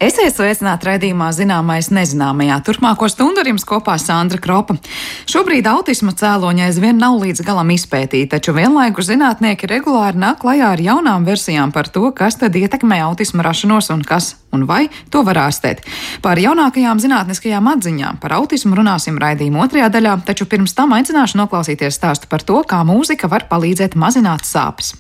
Esiet sveicināti raidījumā Zināmais nezināmajā. Turpmāko stundu ar jums kopā Sandra Kropa. Šobrīd autisma cēloņi aizvien nav līdz galam izpētīti, taču vienlaikus zinātnieki regulāri nāk klajā ar jaunām versijām par to, kas tad ietekmē autisma rašanos un kas un vai to var ārstēt. Par jaunākajām zinātniskajām atziņām par autismu runāsim raidījuma otrajā daļā, taču pirms tam aicināšu noklausīties stāstu par to, kā mūzika var palīdzēt mazināt sāpes.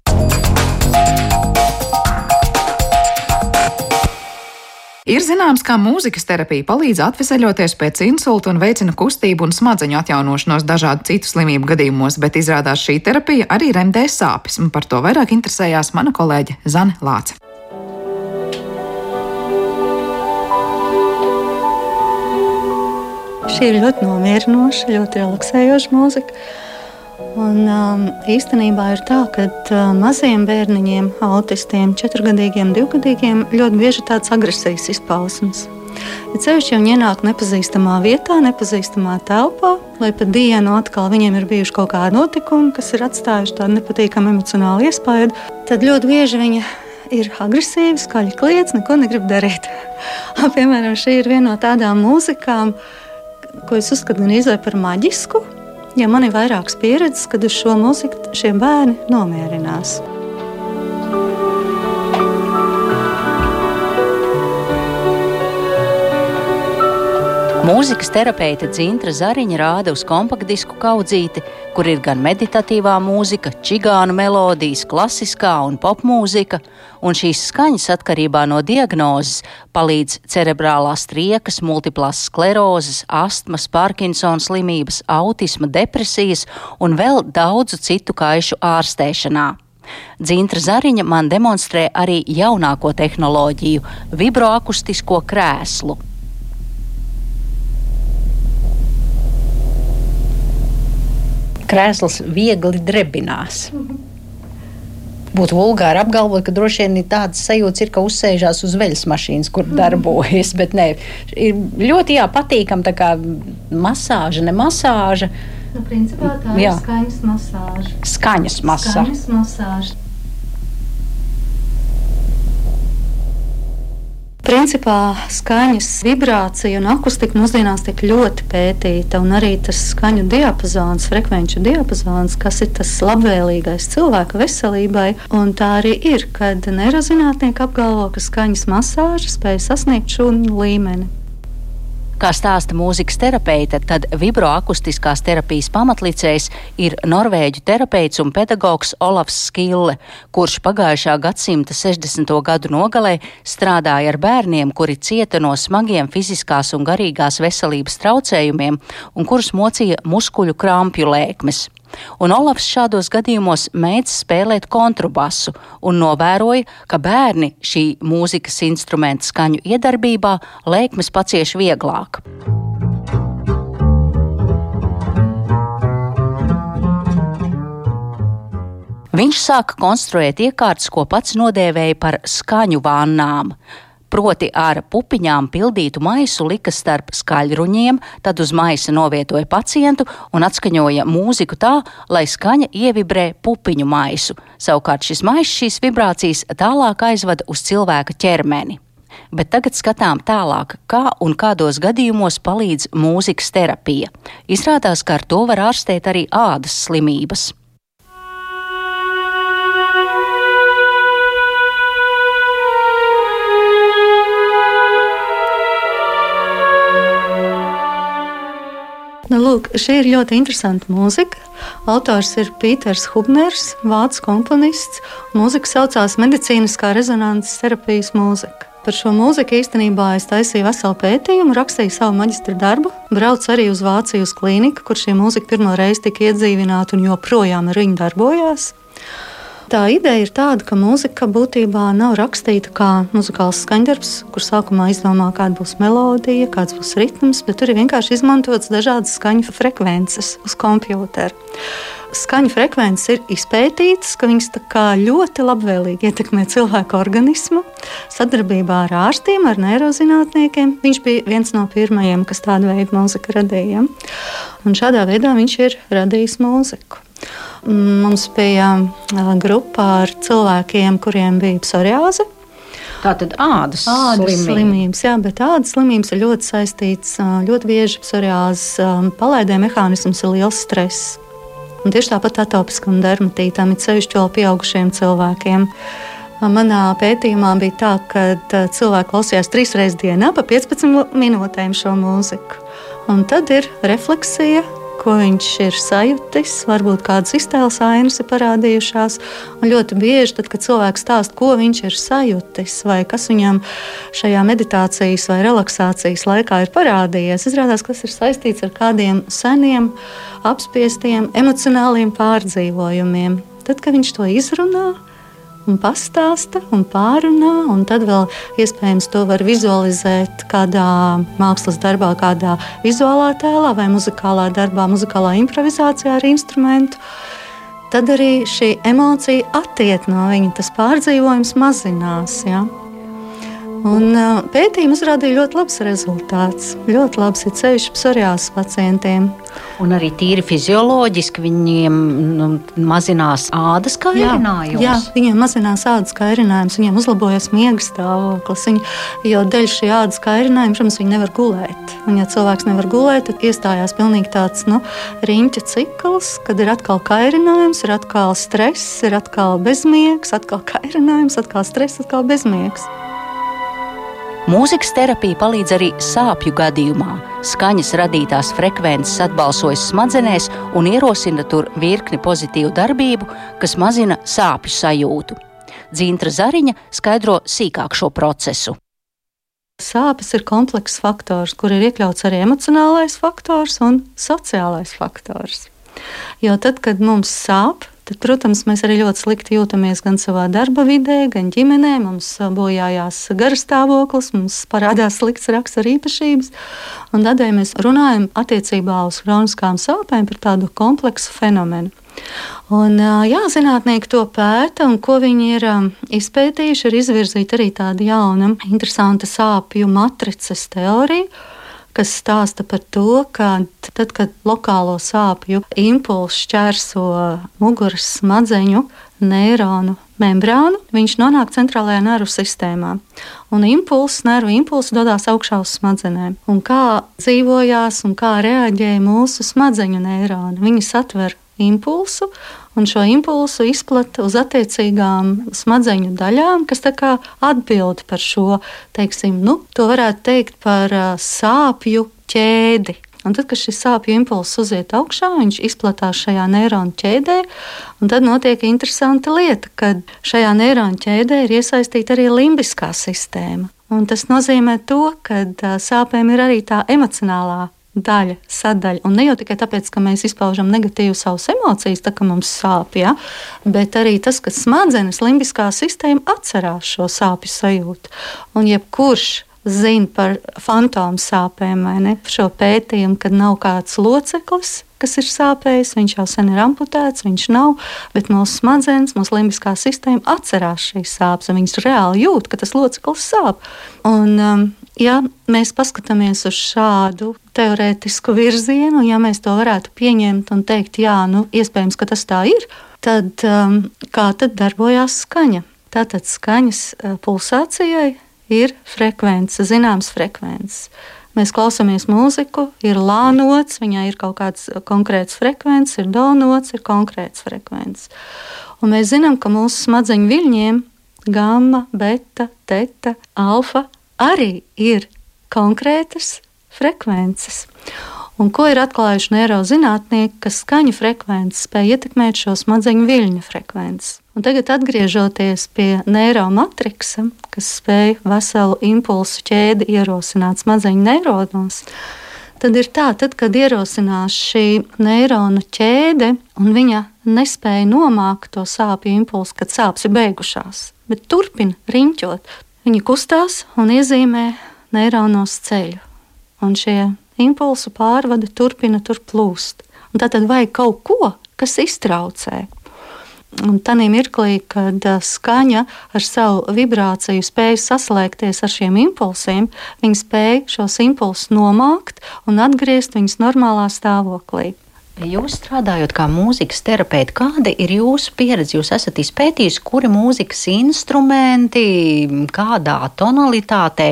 Ir zināms, ka mūzikas terapija palīdz atveseļoties pēc insulta un veicina kustību un smadzeņu atjaunošanos dažādu citu slimību gadījumos, bet izrādās šī terapija arī remdē sāpes, un par to vairāk interesējās mana kolēģe Zane Lāce. Šī ir ļoti nomierinoša, ļoti relaksējoša mūzika. Un īstenībā ir tā, ka maziem bērniņiem, autistiem, 4-gadīgiem, 2-gadīgiem ļoti bieži tāds agresijas izpausmes. Ja cevišķi viņi ienāk nepazīstamā vietā, nepazīstamā telpā, lai pa dienu atkal viņiem ir bijuši kaut kādi notikumi, kas ir atstājuši tādu nepatīkamu emocionālu iespaidu, tad ļoti bieži viņi ir agresīvi, skaļi kliedz, neko negrib darīt. Piemēram, šī ir viena no tādām mūzikām, ko es uzskatu gan izvēl par maģisku. Ja man ir vairākas pieredzes, kad uz šo mūziku šie bērni nomierinās. Mūzikas terapeite Dzintra Zariņa rāda uz kompaktdisku kaudzīti, kur ir gan meditatīvā mūzika, čigānu melodijas, klasiskā un popmūzika, un šīs skaņas atkarībā no diagnozes palīdz cerebrālās triekas, multiplās sklerozes, astmas, Parkinsona slimības, autisma, depresijas un vēl daudzu citu kaišu ārstēšanā. Dzintra Zariņa man demonstrē arī jaunāko tehnoloģiju – vibroakustisko krēslu. Krēsls viegli drebinās. Būtu vulgāri apgalvot, ka droši vien tādas sajūtas ir, ka uzsēžās uz veļas mašīnas, kur darbojas, bet nē, ir ļoti patīkam tā kā masāža, ne masāža. Nu, principā tā ir skaņas masāža. Skaņas masāža. Principā skaņas vibrācija un akustika mūsdienās tiek ļoti pētīta, un arī tas skaņu diapazons, frekvenču diapazons, kas ir tas labvēlīgais cilvēka veselībai, un tā arī ir, kad neirozinātnieki apgalvo, ka skaņas masāža spēj sasniegt šo līmeni. Kā stāsta mūzikas terapeite, tad vibroakustiskās terapijas pamatlicējs ir norvēģu terapeits un pedagogs Olafs Skille, kurš pagājušā gadsimta 60. gadu nogalē strādāja ar bērniem, kuri cieta no smagiem fiziskās un garīgās veselības traucējumiem un kurus mocīja muskuļu krampju lēkmes. Un Olafs šādos gadījumos mēdz spēlēt kontrabasu un novēroja, ka bērni šī mūzikas instrumenta skaņu iedarbībā lēkmes pacieš vieglāk. Viņš sāka konstruēt iekārtas, ko pats nodēvēja par skaņu vannām. Proti ar pupiņām pildītu maisu lika starp skaļruņiem, tad uz maisa novietoja pacientu un atskaņoja mūziku tā, lai skaņa ievibrē pupiņu maisu. Savukārt šis maiss šīs vibrācijas tālāk aizvada uz cilvēka ķermeni. Bet tagad skatām tālāk, kā un kādos gadījumos palīdz mūzikas terapija. Izrādās, ka ar to var ārstēt arī ādas slimības. Lūk, šī ir ļoti interesanta mūzika. Autors ir Pīters Hubners, vācu komponists. Mūzika saucās medicīniskā rezonanses terapijas mūzika. Par šo mūziku īstenībā es taisīju veselu pētījumu, rakstīju savu maģistra darbu, braucu arī uz Vāciju uz klīniku, kur šī mūzika pirmo reizi tika iedzīvināta un joprojām ar viņu darbojās. Tā ideja ir tāda, ka mūzika būtībā nav rakstīta kā muzikāls skaņdarbs, kur sākumā izdomā, kāda būs melodija, kāds būs ritms, bet tur ir vienkārši izmantotas dažādas skaņu frekvences uz kompjūtera. Skaņu frekvences ir izpētītas, ka viņas tā kā ļoti labvēlīgi ietekmē cilvēku organismu. Sadarbībā ar ārstiem, ar neirozinātniekiem. Viņš bija viens no pirmajiem, kas tādu veidu mūziku radīja. Un šādā veidā viņš ir radījis mūziku. Mums bija grupā ar cilvēkiem, kuriem bija psoriāze. Tātad ādas slimības, jā, bet ādas slimības ir ļoti saistīts, ļoti bieži psoriāzes palaidē mehānisms ir liels stress. Un tieši tāpat atopiskam dermatītam, it sevišķi vēl pieaugušiem cilvēkiem. Manā pētījumā bija tā, ka cilvēki klausījās 3 reizes dienā pa 15 minūtēm šo mūziku. Un tad ir refleksija, ko viņš ir sajutis, varbūt kādas iztēles ainas ir parādījušās. Un ļoti bieži, tad, kad cilvēks stāsta, ko viņš ir sajutis, vai kas viņam šajā meditācijas vai relaksācijas laikā ir parādījies, izrādās, kas ir saistīts ar kādiem seniem, apspiestiem, emocionāliem pārdzīvojumiem. Tad, kad viņš to izrunā un pastāsta un pārunā, un tad vēl iespējams to var vizualizēt kādā mākslas darbā, kādā vizuālā tēlā vai muzikālā darbā, muzikālā improvizācijā ar instrumentu, tad arī šī emocija attiek no viņa, tas pārdzīvojums mazinās. Ja? Un pētījumi uzrādīja ļoti labs rezultāts. Ļoti labs ir ceļš psoriāzes pacientiem. Un arī tīri fizioloģiski viņiem mazinās ādas kairinājums. Jā, viņiem mazinās ādas kairinājums, viņiem uzlabojas miega stāvoklis. Jo dēļ šī ādas kairinājuma, protams, viņi nevar gulēt. Un ja cilvēks nevar gulēt, tad iestājās pilnīgi tāds riņķa cikls, kad ir atkal kairinājums, ir atkal stress, ir atkal bezmiegs, atkal kairinājums, atkal stress, atkal bezmiegs. Mūzikas terapija palīdz arī sāpju gadījumā. Skaņas radītās frekvences atbalsojas smadzenēs un ierosina tur virkni pozitīvu darbību, kas mazina sāpju sajūtu. Dzintra Zariņa skaidro sīkāk šo procesu. Sāpes ir komplekss faktors, kur ir iekļauts arī emocionālais faktors un sociālais faktors. Jo tad, kad mums sāp, tad, protams, mēs arī ļoti slikti jūtamies gan savā darba vidē, gan ģimenē. Mums bojājās garastāvoklis, mums parādās slikts rakstura īpašības. Un tādēļ mēs runājam attiecībā uz kroniskām sāpēm par tādu kompleksu fenomenu. Un, zinātnieki to pēta, un ko viņi ir izpētījuši, ir izvirzīta arī tāda jauna, interesanta sāpju matrices teorija, kas stāsta par to, ka tad, kad lokālo sāpju impulss šķērso muguras smadzeņu neironu membrānu, viņš nonāk centrālajā nervu sistēmā. Un nervu impulss dodas augšā uz smadzenēm. Un kā dzīvojās un kā reaģēja mūsu smadzeņu neironi? Viņi satver impulsu, un šo impulsu izplata uz attiecīgām smadzeņu daļām, kas tā kā atbild par šo, to varētu teikt par sāpju ķēdi. Un tad, kad šis sāpju impulss uziet augšā, viņš izplatās šajā neironu ķēdē, un tad notiek interesanta lieta, kad šajā neironu ķēdē ir iesaistīta arī limbiskā sistēma. Un tas nozīmē to, ka sāpēm ir arī tā emocionālā sadaļa. Un ne jau tikai tāpēc, ka mēs izpaužam negatīvu savas emocijas, tā kā mums sāp, ja? Bet arī tas, ka smadzenes limbiskā sistēma atcerās šo sāpju sajūtu. Un jebkurš zina par fantomu sāpēm vai ne, par šo pētījumu, kad nav kāds loceklis, kas ir sāpējis, viņš jau sen ir amputēts, viņš nav, bet mūsu smadzenes, mūsu limbiskā sistēma atcerās šīs sāpes, un viņas reāli jūt, ka tas loceklis sāp. Un, ja mēs paskatāmies uz šādu teorētisku virzienu, ja mēs to varētu pieņemt un teikt, iespējams, ka tas tā ir, tad kā tad darbojās skaņa? Tātad skaņas pulsācijai ir frekvence, zināms frekvences. Mēs klausāmies mūziku, ir lā nots, viņai ir kaut kāds konkrēts frekvences, ir do nots, ir konkrēts frekvences. Un mēs zinām, ka mūsu smadzeņu viļņiem gamma, beta, teta, alfa arī ir konkrētas frekvences. Un ko ir atklājuši neirozinātnieki, ka skaņu frekvences spēj ietekmēt šo smadzeņu viļņu frekvences. Un tagad atgriežoties pie neiromatriksa, kas spēj veselu impulsu ķēdi ierosināt smadzeņu neironos, tad ir tā, kad ierosinās šī neironu ķēde un viņa nespēja nomākt to sāpju impulsu, kad sāpes ir beigušās, bet turpina riņķot. Viņi kustās un iezīmē neironos ceļu. Un šie impulsu pārvada turpina tur plūst. Un tātad vajag kaut ko, kas iztraucē. Un tanī mirklī, kad skaņa ar savu vibrāciju spēj saslēgties ar šiem impulsiem, viņi spēj šos impulsus nomākt un atgriezt viņus normālā stāvoklī. Jūs strādājot kā mūzikas terapeiti, kāda ir jūsu pieredze? Jūs esat izpētījuši, kuri mūzikas instrumenti, kādā tonalitātē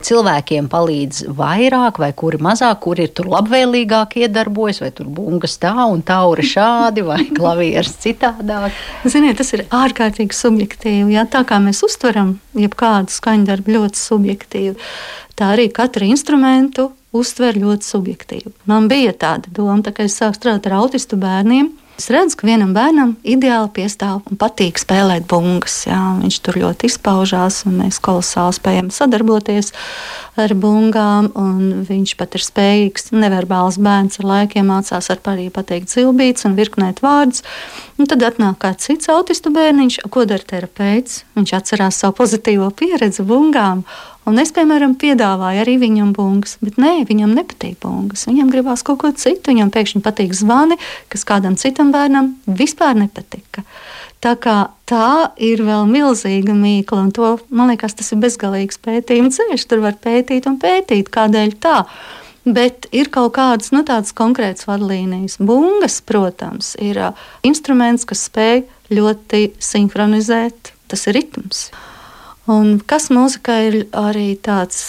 cilvēkiem palīdz vairāk vai kuri mazāk, kuri ir tur labvēlīgāk iedarbojas, vai tur bungas tā un taura šādi, vai klavieres citādāk? Ziniet, tas ir ārkārtīgi subjektīvi. Jā, tā kā mēs uztveram jebkādu skaņdarbu ļoti subjektīvi, tā arī katru instrumentu uztver ļoti subjektīvi. Man bija tāda doma, tā kā es sāku strādāt ar autistu bērniem. Es redzu, ka vienam bērnam ideāli piestāv un patīk spēlēt bungas. Jā. Viņš tur ļoti izpaužās, un mēs kolosāli spējam sadarboties ar bungām. Viņš pat ir spējīgs, neverbāls bērns, ar laikiem mācās ar arī pateikt zilbītes un virknēt vārdus. Un tad atnāk kāds cits autistu bērniņš, ko dara terapeits. Viņš atcerās savu pozitīvo pieredzi bungām. Un es, piemēram, piedāvāju arī viņam bungas, bet nē, viņam nepatīk bungas. Viņam gribās kaut ko citu, viņam pēkšņi patīk zvani, kas kādam citam bērnam vispār nepatika. Tā kā tā ir vēl milzīga mīkla, un to, man liekas, tas ir bezgalīgs pētījuma ceļš. Tur var pētīt un pētīt, kādēļ tā. Bet ir kaut kādas tādas konkrētas vadlīnijas. Bungas, protams, ir instruments, kas spēj ļoti sinhronizēt, tas ir ritms. Un kas mūzikā ir arī tāds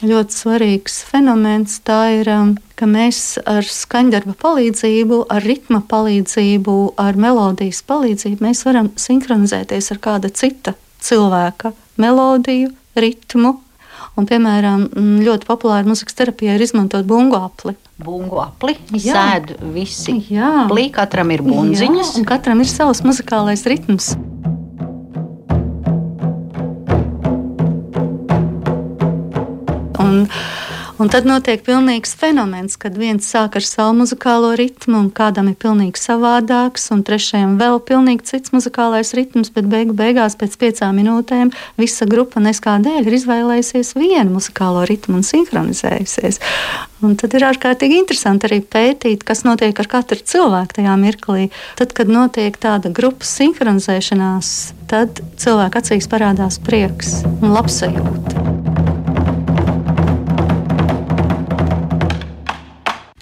ļoti svarīgs fenomens, tā ir, ka mēs ar skaņdarba palīdzību, ar ritma palīdzību, ar melodijas palīdzību mēs varam sinhronizēties ar kāda cita cilvēka melodiju, ritmu. Un, piemēram, ļoti populāra mūzikas terapijā ir izmantot bungu apli. Bungu apli sēd visi. Jā. Plī, katram ir bunziņas. Jā, un katram ir savs muzikālais ritms. Un tad notiek pilnīgs fenomens, kad viens sāk ar savu muzikālo ritmu, un kādam ir pilnīgi savādāks, un trešajam vēl pilnīgi cits muzikālais ritms, bet beigās pēc 5 minūtēm visa grupa neskādēļ ir izvēlējusies vienu muzikālo ritmu un sinhronizējusies. Un tad ir ārkārtīgi interesanti arī pētīt, kas notiek ar katru cilvēku tajā mirklī. Tad, kad notiek tāda grupas sinhronizēšanās, tad cilvēku acīs parādās prieks un labsajūta.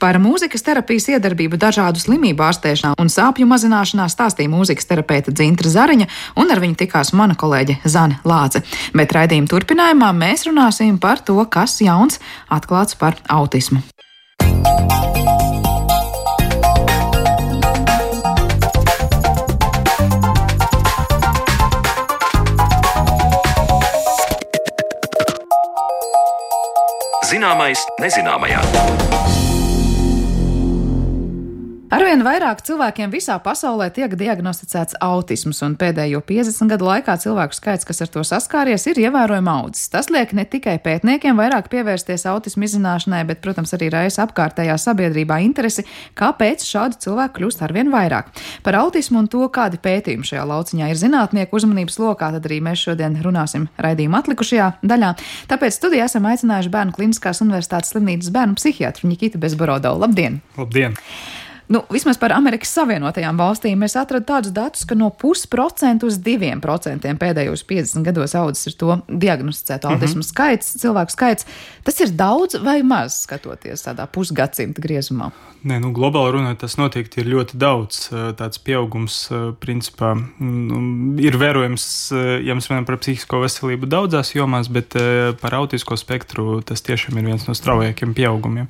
Par mūzikas terapijas iedarbību dažādu slimību ārstēšanā un sāpju mazināšanā stāstīja mūzikas terapeite Dzintra Zariņa, un ar viņu tikās mana kolēģe Zane Lāce. Bet raidījuma turpinājumā mēs runāsim par to, kas jauns atklāts par autismu. Zināmais nezināmajā. Arvien vairāk cilvēkiem visā pasaulē tiek diagnosticēts autisms, un pēdējo 50 gadu laikā cilvēku skaits, kas ar to saskāries, ir ievērojami audzis. Tas liek ne tikai pētniekiem vairāk pievērsties autismu izzināšanai, bet, protams, arī raisa apkārtējā sabiedrībā interesi, kāpēc šādu cilvēku kļūst arvien vairāk. Par autismu un to, kādi pētījumi šajā lauciņā ir zinātnieku uzmanības lokā, tad arī mēs šodien runāsim raidījuma atlikušajā daļā. Tāpēc studijā esam aicinājuši Bērnu Kliniskās universitātes slimnīcas bērnu psihiatru Nikitu Bezborodovu. Labdien! Labdien! Vismaz par Amerikas Savienotajām valstīm es atradu tādus datus, ka no 0,5% uz 2% pēdējos 50 gados audzis ir to diagnosticēto autismu skaits, cilvēku skaits. Tas ir daudz vai maz, skatoties tādā pusgadsimta griezumā? Nē, globāli runājot, tas noteikti ir ļoti daudz. Tāds pieaugums, principā, ir vērojams, ja mēs runājam par psihisko veselību daudzās jomās, bet par autisko spektru tas tiešām ir viens no straujākiem pieaugumiem.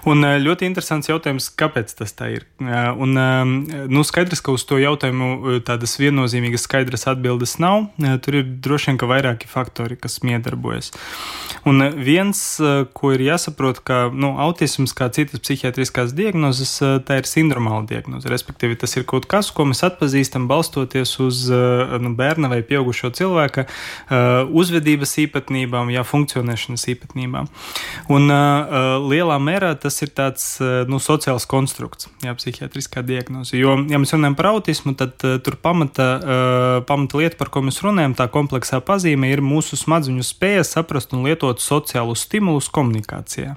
Un ļoti interesants jautājums, kāpēc tas tā ir. Un skaidrs, ka uz to jautājumu tādas viennozīmīgas skaidras atbildes nav. Tur ir droši vien, ka vairāki faktori, kas miedarbojas. Un viens, ko ir jāsaprot, ka autisms, kā citas psihiatriskās diagnozes, tā ir sindromāla diagnoze. Respektīvi, tas ir kaut kas, ko mēs atpazīstam balstoties uz bērna vai pieaugušo cilvēka uzvedības īpatnībām, funkcionēšanas īpatnībām. Un lielā mērā tas ir tāds sociāls konstrukts, psihiatriskā diagnoze. Jo, ja mēs runājam par autismu, tad tur pamata lieta, par ko mēs runājam, tā kompleksā pazīme ir mūsu smadzeņu spēja saprast un lietot sociālus stimulus komunikācijā.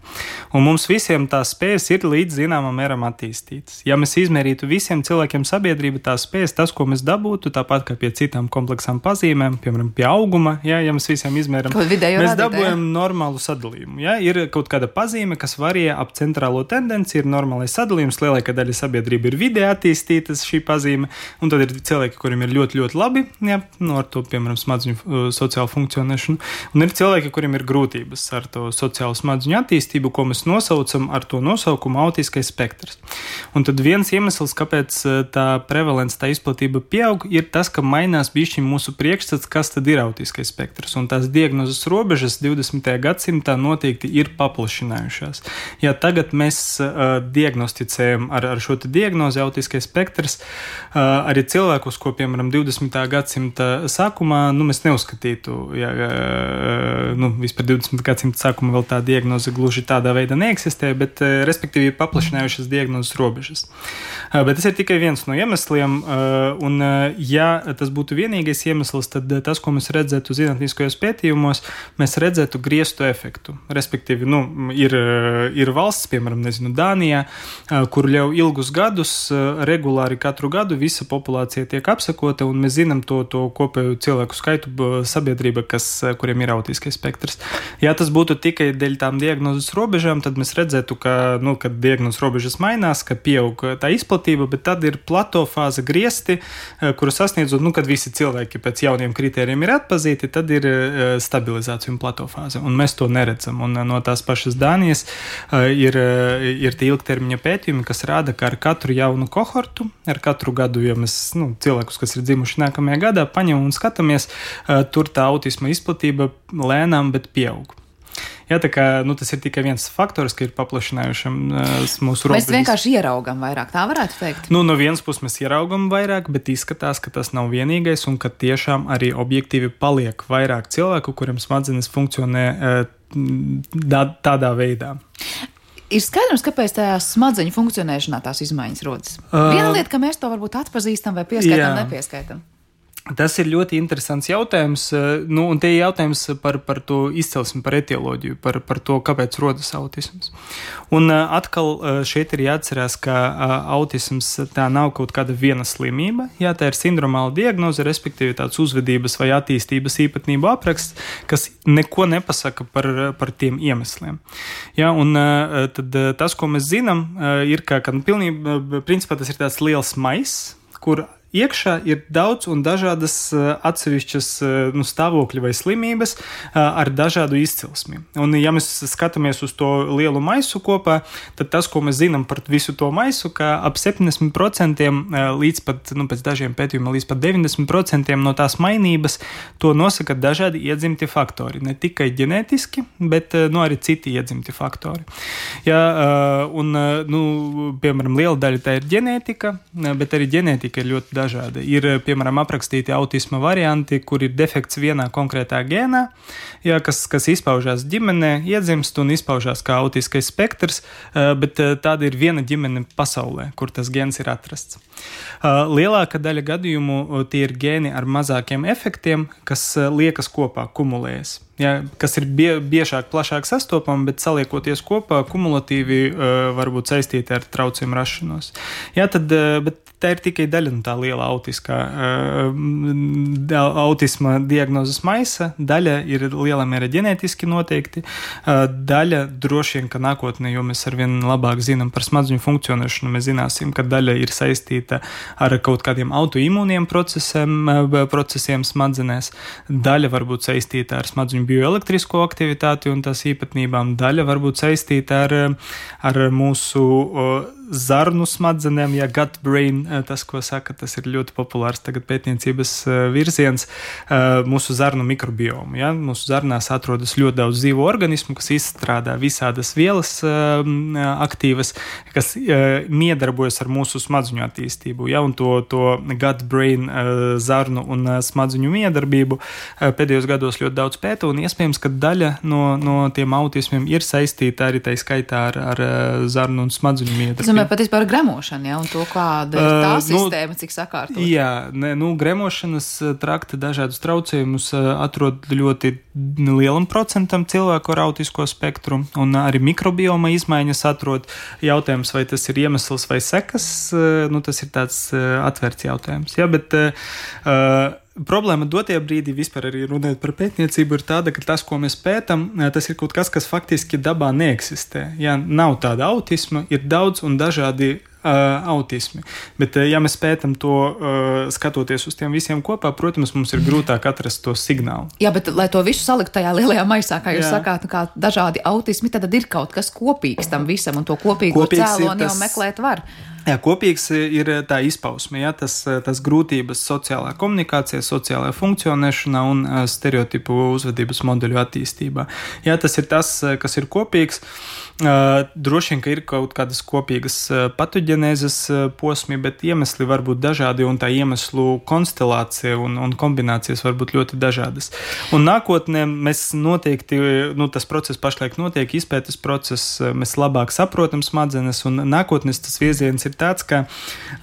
Un mums visiem tās spējas ir līdz zināmam mēram attīstītas. Ja mēs izmērītu visiem cilvēkiem sabiedrību tās spējas, tas, ko mēs dabūtu, tāpat kā pie citām kompleksām pazīmēm, piemēram, pie auguma, ja mēs visiem izmēram, mēs dabūjam normālu sadalījumu. Ja? Ir kaut kāda pazīme, kas varie ap centrālo tendenci, ir normālais sadalījums, lielākā ka daļa sabiedrība ir vidē attīstītas šī pazīme, un tad ir cilvēki, kuriem ir ļoti, ļoti labi, jā, ar to, piemēram, smadzeņu sociālu funkcionēšanu, un ir cilvēki, kuriem ir grūtības ar to sociālu smadzeņu attīstību, ko mēs nosaucam ar to nosaukumu autiskais spektrs. Un tad viens iemesls, kāpēc tā prevalence, tā izplatība pieaug, ir tas, ka mainās bišķiņ mūsu priekšstats, kas tad ir autiskais spektrs, un tās diagnozes robežas 20. gadsimtā noteikti ir paplašinājušās. Ja tagad mēs diagnosticējam ar šo te diagnozi autiskais spektrs, arī cilvēkus, ko, piemēram, 20. gadsimta sākumā, mēs neuzskatītu, vispār 20. gadsimta sākumā vēl tā diagnoze gluži tādā veidā neeksistē, bet, respektīvi, ir paplašinājušas diagnozes robežas. Bet tas ir tikai viens no iemesliem, un, ja tas būtu vienīgais iemesls, tad tas, ko mēs redzētu zinātniskajos pētījumos, mēs redzētu griestu efektu. Respektīvi, ir valsts, piemēram, Dānijā, kur jau ilgus gadus, regulāri katru gadu visa populācija tiek apsekota, un mēs zinām to kopēju cilvēku skaitu sabiedrība, kuriem ir autiskais spektrs. Ja tas būtu tikai dēļ tām diagnozes robežām, tad mēs redzētu, kad diagnozes robežas mainās, ka pieaug tā izplatība, bet tad ir plato fāze griesti, kuru sasniedzot, kad visi cilvēki pēc jauniem kritērijiem ir atpazīti, tad ir stabilizācija un plato fāze, un mēs to neredzam. Un no tās pašas Dānijas ir tie ilgtermiņa pētījumi, kas rāda, ka ar katru jaunu kohortu, ar katru gadu, ja mēs cilvēkus, kas ir dzimuši nākamajā gadā, paņemam un skatāmies, tur tā autisma izplatība lēnām, bet pieaug. Jā, tā kā tas ir tikai viens faktors, ka ir paplašinājušams mūsu robežas. Mēs vienkārši ieraugam vairāk, tā varētu teikt? No vienas puses mēs ieraugam vairāk, bet izskatās, ka tas nav vienīgais un ka tiešām arī objektīvi paliek vairāk cilvēku, kuriem smadzenes funkcionē tādā veidā. Ir skaidrs, kāpēc tajā smadzeņu funkcionēšanā tās izmaiņas rodas. Viena lieta, ka mēs to varbūt atpazīstam vai pieskaitam, nepieskaitam. Tas ir ļoti interesants jautājums, un te ir jautājums par to izcelsmi, par etioloģiju, par to, kāpēc rodas autisms. Un atkal šeit ir jāatcerās, ka autisms tā nav kaut kāda viena slimība, jā, tā ir sindromāla diagnoze, respektīvi tāds uzvedības vai attīstības īpatnību apraksts, kas neko nepasaka par tiem iemesliem. Jā, un tad tas, ko mēs zinām, ir, ka principā tas ir tāds liels maiss, kur iekšā ir daudz un dažādas atsevišķas stāvokļi vai slimības ar dažādu izcelsmi. Un, ja mēs skatāmies uz to lielu maisu kopā, tad tas, ko mēs zinām par visu to maisu, ka ap 70% līdz pat, pēc dažiem pētījumiem, līdz pat 90% no tās mainības to nosaka dažādi iedzimti faktori. Ne tikai ģenētiski, bet arī citi iedzimti faktori. Ja, un, piemēram, liela daļa tā ir ģenētika, bet arī ģenētika ir ļoti dažādi. Ir, piemēram, aprakstīti autisma varianti, kur ir defekts vienā konkrētā gēnā, jā, kas izpaužās ģimenē, iedzimst un izpaužās kā autiskais spektrs, bet tāda ir viena ģimene pasaulē, kur tas gēns ir atrasts. Lielāka daļa gadījumu tie ir gēni ar mazākiem efektiem, kas liekas kopā, kumulējas. Jā, kas ir biežāk, plašāk sastopami, bet saliekoties kopā, kumulatīvi var būt saistīti ar traucējumu rašanos. Jā, bet tā ir tikai daļa no tā liela autisma diagnozes maisa. Daļa ir lielā mērā ģenētiski noteikti, daļa droši vien, ka nākotnē, jo mēs arvien labāk zinām par smadzeņu funkcionēšanu, mēs zināsim, ka daļa ir saistīta ar kaut kādiem autoimūniem procesiem smadzenēs, daļa var būt saistīta ar smadzeņu bioelektrisko aktivitāti un tās īpatnībām, daļa var būt saistīta ar mūsu zarnu smadzenēm, ja gut brain, tas, ko saka, tas ir ļoti populārs tagad pētniecības virziens, mūsu zarnu mikrobiomu. Ja? Mūsu zarnās atrodas ļoti daudz dzīvo organismu, kas izstrādā visādas vielas aktīvas, kas miedarbojas ar mūsu smadzeņu attīstību. Ja? Un to gut brain zarnu un smadzeņu miedarbību pēdējos gados ļoti daudz pēta, un iespējams, ka daļa no tiem autismiem ir saistīta arī tā skaitā ar zarnu un smadzeņu miedarbību. Patiesībā par gremošanu, ja, un to, kāda ir tā sistēma, cik sakārtot. Jā, gremošanas trakta dažādus traucējumus atrod ļoti lielam procentam cilvēku ar autisko spektru, un arī mikrobioma izmaiņas atrod. Jautājums, vai tas ir iemesls vai sekas, tas ir tāds atvērts jautājums. Jā, bet problēma dotajā brīdī vispār arī runājot par pētniecību ir tāda, ka tas, ko mēs pētam, tas ir kaut kas faktiski dabā neeksistē. Ja nav tāda autisma, ir daudz un dažādi autismi. Bet, ja mēs pētam to, skatoties uz tiem visiem kopā, protams, mums ir grūtāk atrast to signālu. Jā, bet, lai to visu salikt tajā lielajā maisā, kā jūs sakāt, kā dažādi autismi, tad ir kaut kas kopīgs tam visam, un to kopīgo cēloni jau meklēt var. Jā, kopīgs ir tā izpausme, ja, tas grūtības sociālā komunikācijā, sociālajā funkcionēšanā un stereotipu uzvedības modeļu attīstībā. Jā, tas ir tas, kas ir kopīgs. Droši vien, ka ir kaut kādas kopīgas patoģenēzes posmi, bet iemesli var būt dažādi un tā iemeslu konstelācija un kombinācijas var būt ļoti dažādas. Un nākotnē mēs noteikti, tas process pašlaik notiek, izpētes process, mēs labāk saprotam smadzenes un nākotnes tas virziens ir tāds, ka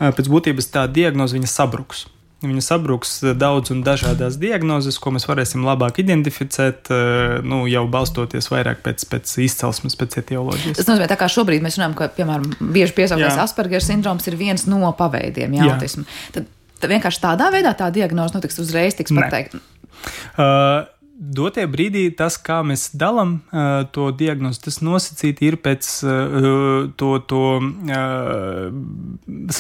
pēc būtības tā diagnoze viņa sabruks. Viņa sabruks daudz un dažādās diagnozes, ko mēs varēsim labāk identificēt, jau balstoties vairāk pēc izcelsmes, pēc etioloģijas. Tas nozīmē, tā kā šobrīd mēs runājam, ka, piemēram, bieži piesauktais Asperger sindroms ir viens no paveidiem autismu. Tad vienkārši tādā veidā tā diagnoze notiks uzreiz, tiks pateikt? Dotie brīdī tas, kā mēs dalām to diagnozi, tas nosacīti ir pēc to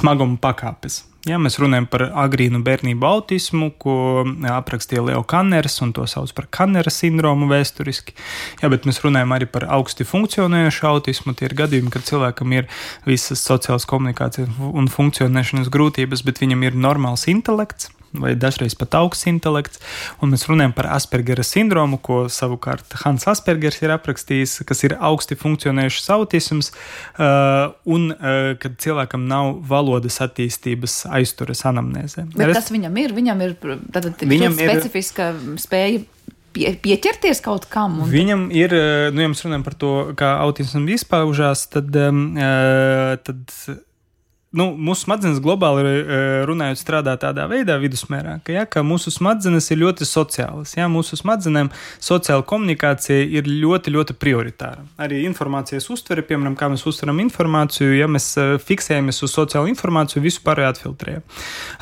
smaguma pakāpes. Ja, mēs runājam par agrīnu bērnību autismu, ko aprakstīja Leo Kanners, un to sauc par Kannera sindromu vēsturiski. Ja, bet mēs runājam arī par augsti funkcionējošu autismu. Tie ir gadījumi, kad cilvēkam ir visas sociālas komunikācijas un funkcionēšanas grūtības, bet viņam ir normāls intelekts, vai dažreiz pat augsts intelekts, un mēs runājam par Aspergera sindromu, ko savukārt Hans Aspergers ir aprakstījis, kas ir augsti funkcionējušs autisms, un kad cilvēkam nav valodas attīstības aizturas anamnēzē. Bet tas viņam ir specifiska spēja pieķerties kaut kam? Viņam ir, ja mēs runājam par to, kā autisms izpaužās, tad mūsu smadzenes globāli runājot strādā tādā veidā vidusmērā, ka mūsu smadzenes ir ļoti sociālas. Ja? Mūsu smadzenēm sociāla komunikācija ir ļoti, ļoti prioritāra. Arī informācijas uztvere, piemēram, kā mēs uztveram informāciju, ja mēs fiksējamies uz sociālu informāciju, visu pārējo atfiltrējam.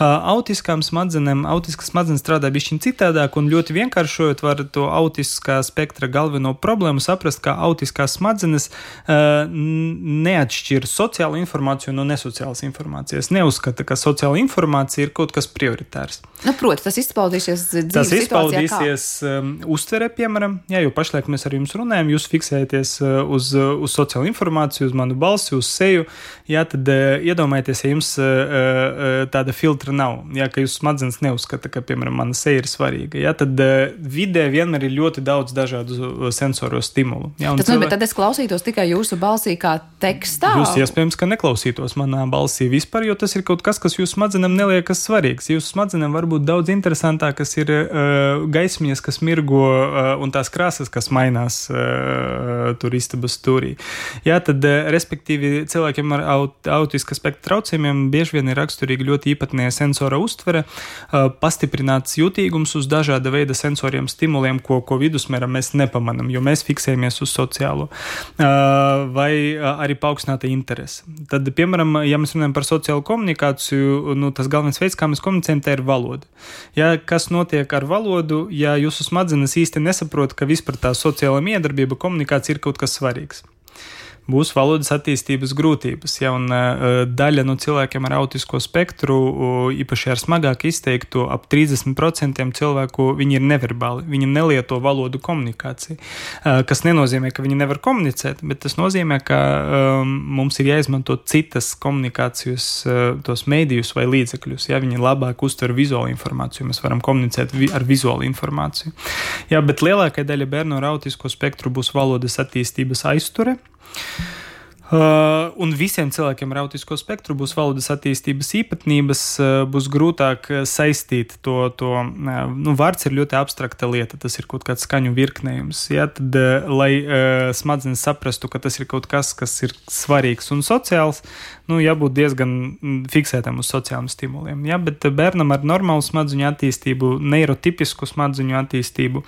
Autiskas smadzenes strādā bišķiņ citādāk un ļoti vienkāršojot var to autiskā spektra galveno problēmu saprast, ka autiskās smadzenes neatšķir sociālu informāciju no nesociālas informācijas. Neuzskata, ka sociāla informācija ir kaut kas prioritārs. Proti, tas izpaudīsies dzīves situācijā kā? Tas izpaudīsies uztvere, piemēram, jo pašlaik mēs ar jums runājam, jūs fiksējaties uz sociālu informāciju, uz manu balsi, uz seju, tad iedomājieties, ja jums tāda filtra nav, ka jūs smadzenes neuzskata, ka, piemēram, mana seja ir svarīga, tad vidē vienmēr ir ļoti daudz dažādu sensoru stimulu. Tas nozīmē, tad es klausītos tikai jūsu balsī kā tekstā? Jūs iespējams, ka neklausītos manā balsī vispār, jo tas ir kaut kas, kas jūsu smadzenēm neliekas svarīgs. Jūsu smadzenēm var būt daudz interesantākas ir gaismiņas, kas mirgo un tās krāsas, kas mainās tur istabas stūrī. Tad, respektīvi, cilvēkiem ar autiska spektra traucējumiem bieži vien ir raksturīgi ļoti īpatnēja sensora uztvere, pastiprināts jutīgums uz dažāda veida sensoriem stimuliem, ko vidusmēram mēs nepamanam, jo mēs fiksējamies uz sociālo. Vai arī paaugstināta interese. Tad, piemēram, ja mēs runājam par sociālu komunikāciju, tas galvenais veids, kā mēs komunicējam, tā ir valoda. Kas notiek ar valodu, ja jūsu smadzenes īsti nesaprot, ka vispār tā sociāla miedarbība, komunikācija ir kaut kas svarīgs? Būs valodas attīstības grūtības, un daļa no cilvēkiem ar autisko spektru, īpaši ar smagāk izteiktu, ap 30% cilvēku, viņi ir neverbāli, viņi nelieto valodu komunikāciju, kas nenozīmē, ka viņi nevar komunicēt, bet tas nozīmē, ka mums ir jāizmanto citas komunikācijas, tos mēdījus vai līdzekļus, viņi labāk uztver vizuālu informāciju, mēs varam komunicēt ar vizuālu informāciju. Bet lielākai daļa bērnu ar autisko spektru būs valodas attīstības aizture, un visiem cilvēkiem ar autisko spektru būs valodas attīstības īpatnības, būs grūtāk saistīt to vārds ir ļoti abstrakta lieta, tas ir kaut kāds skaņu virknējums, tad, lai smadzenes saprastu, ka tas ir kaut kas, kas ir svarīgs un sociāls, jābūt diezgan fiksētam uz sociāliem stimuliem, bet bērnam ar normālu smadzeņu attīstību, neirotipisku smadzeņu attīstību,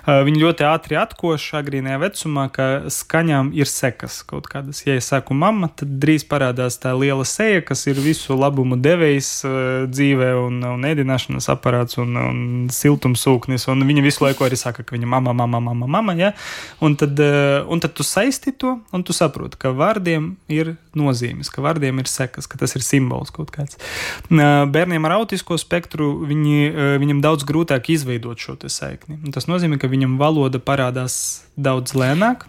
viņi ļoti ātri atkoš agrīnajā vecumā, ka skaņām ir sekas kaut kādas, ja es saku mamma, tad drīz parādās tā liela seja, kas ir visu labumu devējs dzīvē un ēdināšanas aparāts un siltumsūknis, un viņa visu laiku arī saka, ka viņa mamma, ja? Un tad tu saisti to, un tu saproti, ka vārdiem ir nozīmes, ka vārdiem ir sekas, ka tas ir simbols kaut kāds. Bērniem ar autisko spektru viņam daudz grūtāk izveidot šo te saikni. Un tas nozīmē, ka viņam valoda parādās daudz lēnāk,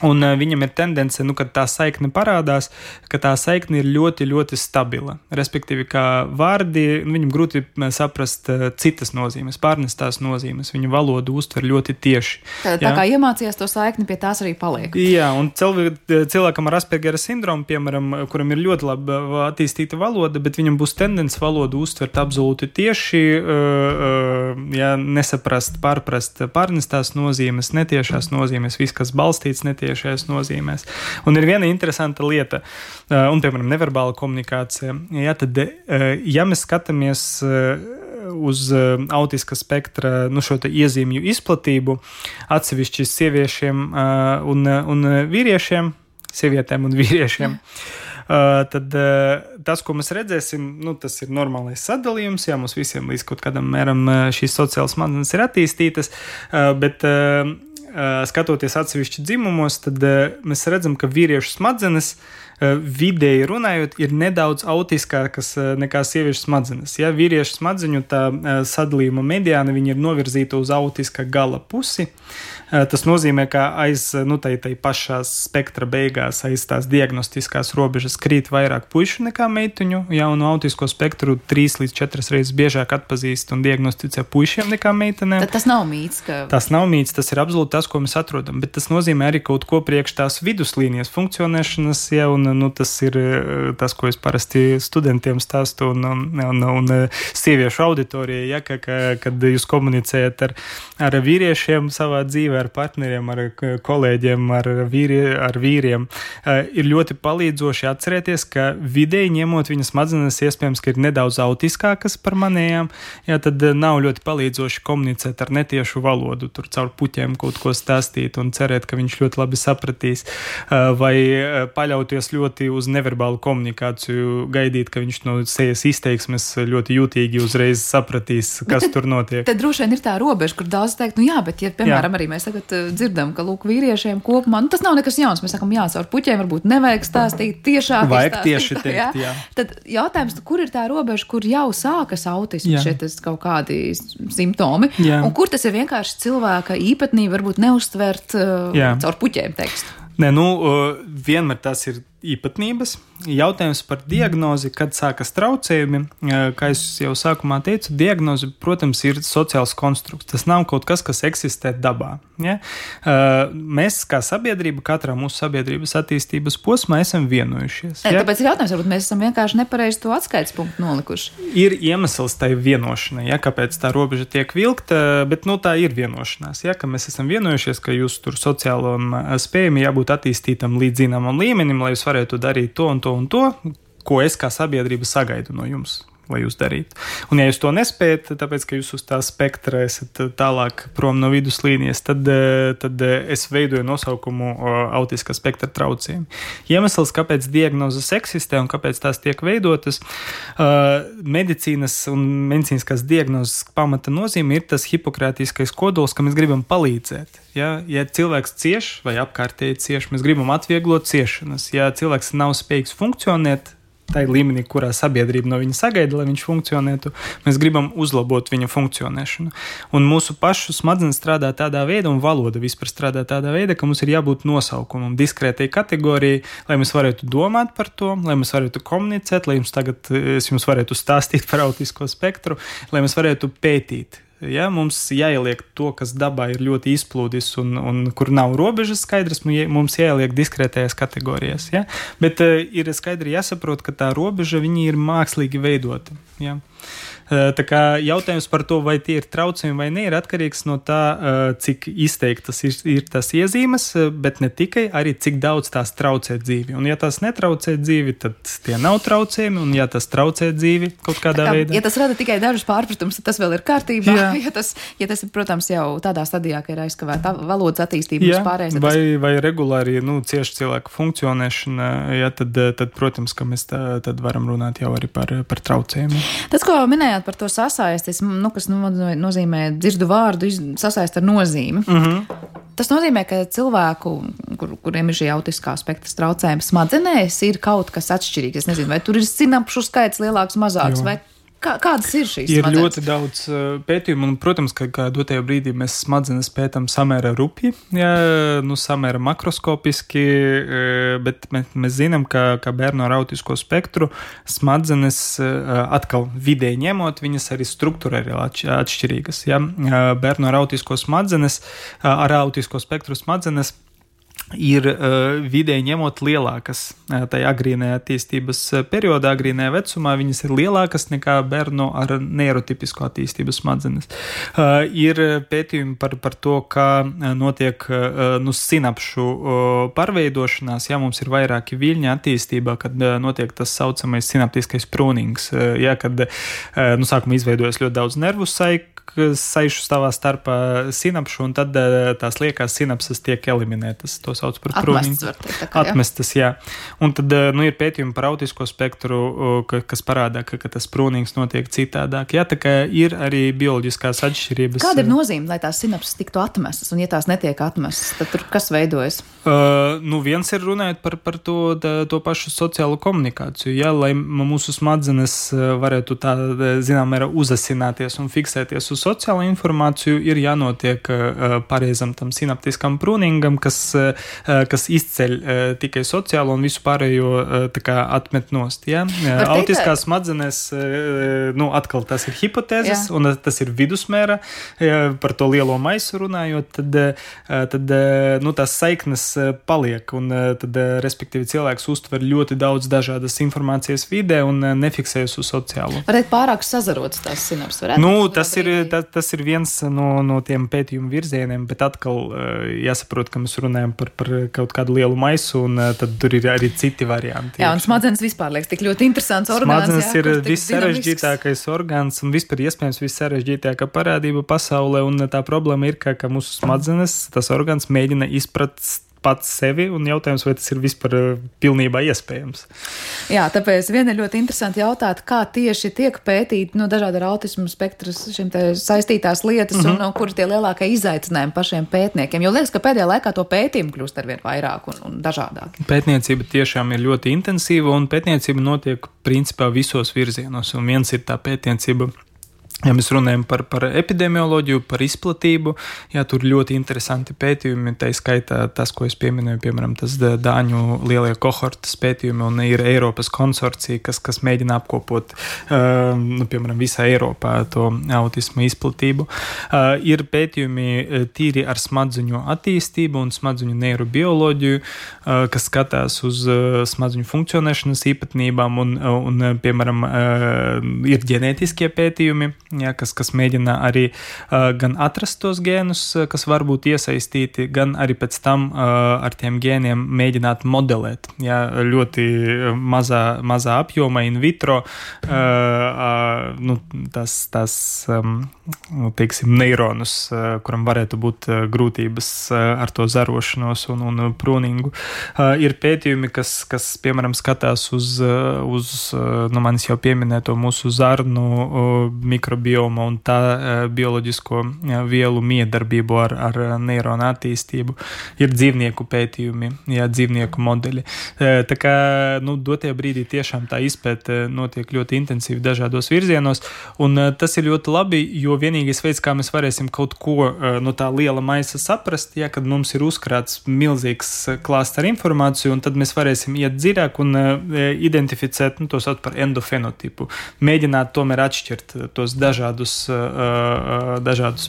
un viņam ir tendence, kad tā saikne parādās, ka tā saikne ir ļoti, ļoti stabila. Respektīvi, kā vārdi, viņam grūti saprast citas nozīmes, pārnestās nozīmes. Viņa valodu uztver ļoti tieši. Tā kā iemācījās to saikni, pie tās arī paliek. Jā, un cilvēkam ar Aspergera sindromu, piemēram, kuram ir ļoti labi attīstīta valoda, bet viņam būs tendence valodu uztvert absolūti tieši, nesaprast, pārprast pārnestās nozīmes, netiešās nozīmes, viss, kas balstīts netiešajās nozīmēs. Un ir viena interesanta lieta, un, piemēram, neverbāla komunikācija. Jā, tad, ja mēs skatāmies uz autiska spektra šo te iezīmju izplatību, atsevišķi sieviešiem un vīriešiem, sievietēm un vīriešiem, tad tas, ko mēs redzēsim, tas ir normālais sadalījums, jā, mums visiem līdz kaut kādam mēram šīs sociālas smadzenes ir attīstītas, bet skatoties atsevišķi dzimumos, tad mēs redzam, ka vīriešu smadzenes vidēji runājot ir nedaudz autiskākas nekā sieviešu smadzenes. Ja? Vīriešu smadzeņu tā sadalījuma mediāna viņa ir novirzīta uz autiska gala pusi. Tas nozīmē, ka aiz tai pašā spektra beigās, aiz tās diagnostiskās robežas krīt vairāk puišu nekā meituņu, ja, un autisko spektru 3 līdz 4 reizes biežāk atpazīst un diagnosticē puišiem nekā meitenēm. Tad tas nav mīts, ka... Tas nav mīts, tas ir absolūti tas, ko mēs atrodam, bet tas nozīmē arī kaut ko priekš tās viduslīnijas funkcionēšanas, ja, un tas ir tas, ko es parasti studentiem stāstu un sieviešu auditorijai, ja, kad jūs komunicējat ar vīriešiem savā dzīvē, ar partneriem, ar kolēģiem, ar vīriem, ir ļoti palīdzoši atcerēties, ka vidēji ņemot viņas smadzenes iespējams, ka ir nedaudz autiskākas par manējām, ja, tad nav ļoti palīdzoši komunicēt ar netiešu valodu, tur caur puķiem kaut ko stāstīt un cerēt, ka viņš ļoti labi sapratīs, vai paļauties ļoti uz neverbālu komunikāciju, gaidīt, ka viņš no sejas izteiksmes ļoti jūtīgi uzreiz sapratīs, kas tur notiek. Tad droši vien ir tā robeža, kur daudz teikt, jā, bet ja, piemēram, arī mēs tagad dzirdam, ka, lūk, vīriešiem kopumā, tas nav nekas jauns, mēs sakam, caur puķiem varbūt nevajag stāstīt tiešāk. Vajag tieši teikt, jā. Tad jautājums, kur ir tā robeža, kur jau sākas autisms, šeit kaut kādi simptomi, un kur tas ir vienkārši cilvēka īpatnība, varbūt neuztvert caur puķiem tekstu? Nē, vienmēr tas ir īpatnības. Jautājums par diagnozi, kad sākas traucējumi, kā es jau sākumā teicu, diagnozi, protams, ir sociāls konstrukts. Tas nav kaut kas, kas eksistē dabā. Ja? Mēs kā sabiedrība, katrā mūsu sabiedrības attīstības posmā esam vienojušies. Ja? Tāpēc ir jautājums, varbūt mēs esam vienkārši nepareizi to atskaites punktu nolikuši. Ir iemesls tai vienošanai, ja? Kāpēc tā robeža tiek vilkta, bet tā ir vienošanās, ja? Ka mēs esam vienojušies, ka jūs tur sociālam spējam jābūt attīstītam līdz zināmam līmenim, lai jūs varētu darīt to un to, ko es kā sabiedrība sagaidu no jums, lai jūs darītu. Un ja jūs to nespējat, tāpēc, ka jūs uz tā spektra esat tālāk prom no viduslīnijas, tad es veidoju nosaukumu autiskā spektra traucējumi. Iemesls, kāpēc diagnozes eksistē un kāpēc tās tiek veidotas, medicīnas un medicīniskās diagnozes pamata nozīme ir tas hipokrātiskais kodols, ka mēs gribam palīdzēt. Ja cilvēks cieš vai apkārtēji cieš, mēs gribam atvieglot ciešanas. Ja cilvēks nav spējīgs funkcionēt tai līmenī, kurā sabiedrība no viņa sagaida, lai viņš funkcionētu, mēs gribam uzlabot viņa funkcionēšanu. Un mūsu pašu smadzenes strādā tādā veidā, un valoda vispār strādā tādā veidā, ka mums ir jābūt nosaukumam, diskrētai kategorijai, lai mēs varētu domāt par to, lai mēs varētu komunicēt, lai es jums varētu stāstīt par autisko spektru, lai mēs varētu pētīt. Ja, mums jāieliek to, kas dabā ir ļoti izplūdis un kur nav robežas skaidrs, mums jāieliek diskrētajās kategorijās. Ja? Bet ir skaidri jāsaprot, ka tā robeža viņi ir mākslīgi veidota. Ja? Tā kā jautājums par to, vai tie ir traucējumi vai ne, ir atkarīgs no tā, cik izteiktas ir tās iezīmes, bet ne tikai, arī cik daudz tās traucē dzīvi. Un ja tās netraucē dzīvi, tad tie nav traucējumi, un ja tas traucē dzīvi kaut kādā veidā. Ja tas rada tikai dažus pārpratumus, tad tas vēl ir kārtībā. Jā, ja tas ir, protams, jau tādā stadijā, ka ir aizkavēta valodas attīstība vispārējais. Vai regulāri, cieši cilvēku funkcionēšana, tad, protams, ka mēs tad varam runāt jau arī par traucējumiem. Tas, ko minējāt par to sasaistis, kas nozīmē dzirdu vārdu, sasaist ar nozīmi. Tas nozīmē, ka cilvēku, kuriem ir šī autiskā spektra traucējuma, smadzenēs ir kaut kas atšķirīgs. Es nezinu, vai tur ir sinapšu skaits lielāks, mazāks, vai kādas ir šīs smadzenes? Ir ļoti daudz pētījumu, un, protams, ka dotajā brīdī mēs smadzenes pētam samērā rupji, samērā makroskopiski, bet mēs zinām, ka bērnu ar autisko spektru smadzenes atkal vidēji ņemot, viņas arī struktūrāli atšķirīgas. Bērnu ar autisko spektru smadzenes ir vidēji ņemot lielākas. Tajā agrīnajā attīstības periodā, agrīnajā vecumā, viņas ir lielākas nekā bērnu ar neirotipisku attīstības smadzenes. Ir pētījumi par to, kā notiek sinapšu pārveidošanās, mums ir vairāki viļņi attīstībā, kad notiek tas saucamais sinaptiskais prūnings, kad sākumā izveidojas ļoti daudz nervu saišu savā starpā sinapšu, un tad tās liekās sinapses tiek eliminētas. To sauc par prūningu. Atmestas, jā. Un tad ir pētījumi par autisko spektru, kas parādā, ka tas prūnings notiek citādāk. Jā, tā kā ir arī bioloģiskās atšķirības. Kāda ir nozīme, lai tās sinapses tiktu atmestas, un ja tās netiek atmestas, tad tur kas veidojas? Viens ir runājot par to pašu sociālo komunikāciju, lai mūsu smadzenes varētu zinām mērā uzasināties un fiksēties uz sociālo informāciju, ir jānotiek pareizam tam sinaptiskam prūningam, kas izceļ tikai sociālo un visu pārējo atmet nost. Ja? Autiskās smadzenes, atkal tas ir hipotēzes, un tas ir vidusmēra, par to lielo maisu runājot, tad tās saiknes paliek, un tad, respektīvi, cilvēks uztver ļoti daudz dažādas informācijas vidē un nefiksējas uz sociālo. Varētu pārāk sazarotas tās sinapses, varētu? Tas ir viens no tiem pētījumu virzieniem, bet atkal jāsaprot, ka mēs runājam par kaut kādu lielu maisu, un tad tur ir arī citi varianti. Jā, un smadzenes vispār liekas tik ļoti interesants orgāns. Smadzenes ir vissarežģītākais orgāns un vispār iespējams vissarežģītākā parādība pasaulē, un tā problēma ir, ka mūsu smadzenes, tas orgāns mēģina izprast pats sevi, un jautājums, vai tas ir vispār pilnībā iespējams. Jā, tāpēc viena ir ļoti interesanti jautāt, kā tieši tiek pētīt dažādi ar autismu spektras šim te saistītās lietas, un kur tie lielākie izaicinājumi pašiem pētniekiem. Jo liekas, ka pēdējā laikā to pētījumu kļūst arvien vairāk un dažādāk. Pētniecība tiešām ir ļoti intensīva, un pētniecība notiek principā visos virzienos, un viens ir tā pētniecība. Ja mēs runājam par epidemioloģiju, par izplatību, tur ļoti interesanti pētījumi, tā skaitā tas, ko es pieminēju, piemēram, tas Dāņu lielie kohortas pētījumi, un ir Eiropas konsorcija, kas mēģina apkopot, piemēram, visā Eiropā to autismu izplatību. Ir pētījumi tīri ar smadzeņu attīstību un smadzeņu neirobioloģiju, kas skatās uz smadzeņu funkcionēšanas īpatnībām, un piemēram, ir ģenētiskie pētījumi, kas mēģina arī gan atrast tos gēnus, kas var būt iesaistīti, gan arī pēc tam ar tiem gēniem mēģināt modelēt. Ļoti mazā apjoma in vitro teiksim, neironus, kuram varētu būt grūtības ar to zarošanos un prūningu. Ir pētījumi, kas piemēram, skatās uz manis jau pieminēto mūsu zarnu mikrobioma un tā bioloģisko vielu miedarbību ar neironu attīstību. Ir dzīvnieku pētījumi, dzīvnieku modeļi. Tā kā, dotajā brīdī tiešām tā izpēte notiek ļoti intensīvi dažādos virzienos, un tas ir ļoti labi, jo vienīgais veids, kā mēs varēsim kaut ko no tā liela maisa saprast, kad mums ir uzkrāts milzīgs klāsts ar informāciju, un tad mēs varēsim iet dziļāk un identificēt, to sauc par endofenotipu. Mēģināt tomēr atšķirt tos dažādus